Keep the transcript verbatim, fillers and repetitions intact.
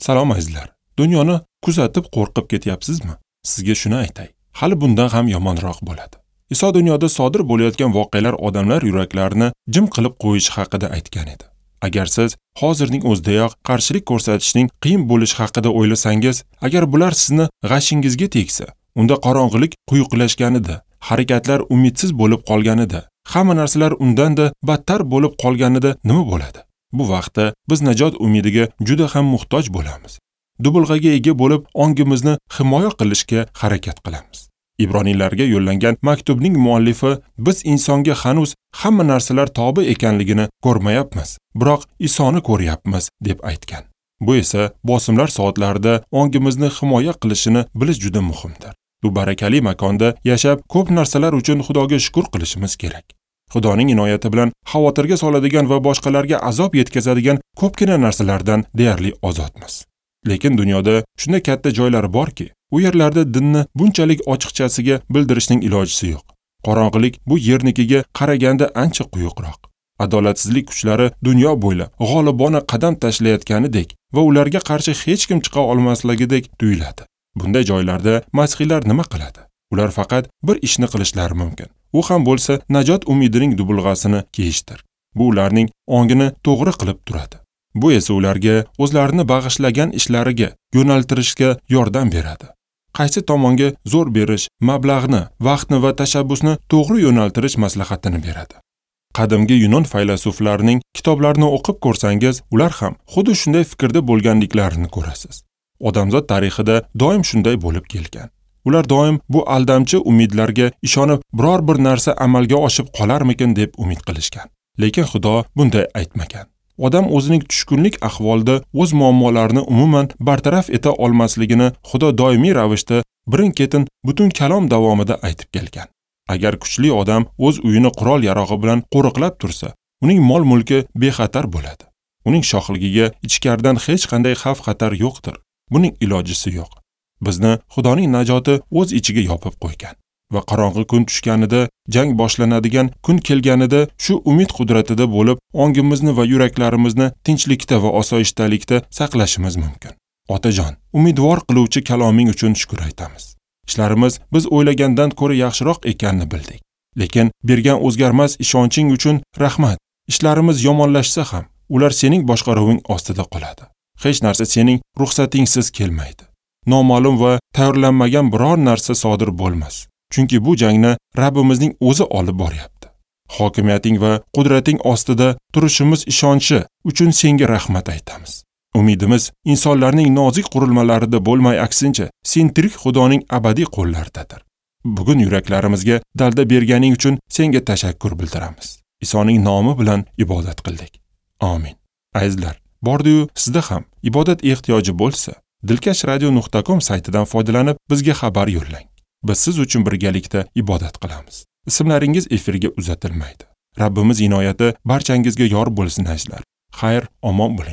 Salom azizlar. Dunyoni kuzatib qo'rqib ketyapsizmi? Sizga shuni aytay. Hali bundan ham yomonroq bo'ladi. Iso dunyoda sodir bo'layotgan voqealar odamlar yuraklarini jim qilib qo'yishi haqida aytgan edi. Agar siz hozirning o'zidayoq qarshilik ko'rsatishning qiyin bo'lishi haqida o'ylasangiz, agar bular sizni g'ashingizga tegsa, unda qorong'ilik quyuqlashganida, harakatlar umidsiz bo'lib qolganida, hamma narsalar undan-da battar bo'lib qolganida nima bo'ladi? Bu vaqtda biz najot umidiga juda ham muhtoj bo'lamiz. Dubulg'aga ega bo'lib, ongimizni himoya qilishga harakat qilamiz. Ibroniylarga yo'llangan maktubning muallifi biz insonga hanuz hamma narsalar tobe ekanligini ko'rmayapmiz, biroq Isoni ko'ryapmiz deb aytgan. Bu esa bosimlar soatlarida ongimizni himoya qilishini bilish juda muhimdir. Bu barakali makonda yashab ko'p narsalar uchun Xudoga shukr qilishimiz kerak. Xudoning inoyati bilan xavotirga soladigan va boshqalarga azob yetkazadigan ko'pgina narsalardan deyarli ozodmiz. Lekin dunyoda shunday katta joylar borki, u yerlarda dinni bunchalik ochiqchasiga bildirishning ilojisi yo'q. Qorong'ilik bu yernikiga qaraganda ancha quyuqroq. Adolatsizlik kuchlari dunyo bo'ylab g'olibona qadam tashlayotganidek va ularga qarshi hech kim chiqa olmasligidek tuyuladi. Bunday joylarda masihiylar nima qiladi? Ular faqat bir ishni qilishlari mumkin. U ham bo'lsa najot umidining dubulg'asini kiyishdir. Bu ularning ongini to'g'ri qilib turadi. Bu esa ularga o'zlarini bag'ishlagan ishlariga yo'naltirishga yordam beradi. Qaysi tomonga zo'r berish, mablag'ni, vaqtni va tashabbusni to'g'ri yo'naltirish maslahatini beradi. Qadimgi Yunon faylasuflarining kitoblarini o'qib ko'rsangiz, ular ham xuddi shunday fikrda bo'lganliklarini ko'rasiz. Odamzod tarixida doim shunday bo'lib kelgan. Ular doim bu aldamchi umidlarga ishonib, biror bir narsa amalga oshib qolarmikin deb umid qilishgan. Lekin Xudo bunday aytmagan. Odam o'zining tushkunlik ahvolida o'z muammolarini umuman bartaraf eta olmasligini Xudo doimiy ravishda birin-ketin butun kalom davomida aytib kelgan. Agar kuchli odam o'z uyini qurol-yarog'i bilan qo'riqlab tursa, uning mol-mulki bexatar bo'ladi. Uning shohligiga ichkaridan hech qanday xavf-xatar yo'qdir. Buning ilojisi yo'q. Bizni Xudoning najoti o'z ichiga yopib qo'ygan va qorong'i kun tushganida, jang boshlanadigan kun kelganida shu umid qudratida bo'lib, ongimizni va yuraklarimizni tinchlikda va osoyishtalikda saqlashimiz mumkin. Otajon, umidvor qiluvchi kaloming uchun shukr aytamiz. Ishlarimiz biz o'ylagandan ko'ra yaxshiroq ekanini bildik. Lekin bergan o'zgarmas ishonching uchun rahmat. Ishlarimiz yomonlashsa ham, ular sening boshqaruving ostida qoladi. Hech narsa sening ruxsatingsiz kelmaydi. Noma'lum va tayyorlanmagan biror narsa sodir bo'lmas. Chunki bu jangni Rabbimizning o'zi olib boryapti. Hokimiyating va qudrating ostida turishimiz ishonchi uchun senga rahmat aytamiz. Umidimiz insonlarning nozik qurilmalarida bo'lmay, aksincha, sen tirik Xudoning abadiy qo'llaridadir. Bugun yuraklarimizga dalda berganing uchun senga tashakkur bildiramiz. Isoning nomi bilan ibodat qildik. Amin. Azizlar, bordi-yu sizda ham ibodat ehtiyoji bo'lsa, dilkash radio nuqta com saytidan foydalanib bizga xabar yo'llang. Biz siz uchun birgalikda ibodat qilamiz. Ismlaringiz efirga uzatilmaydi. Rabbimiz inoyati barchangizga yor bo'lsin azizlar. Xayr, omon bo'ling.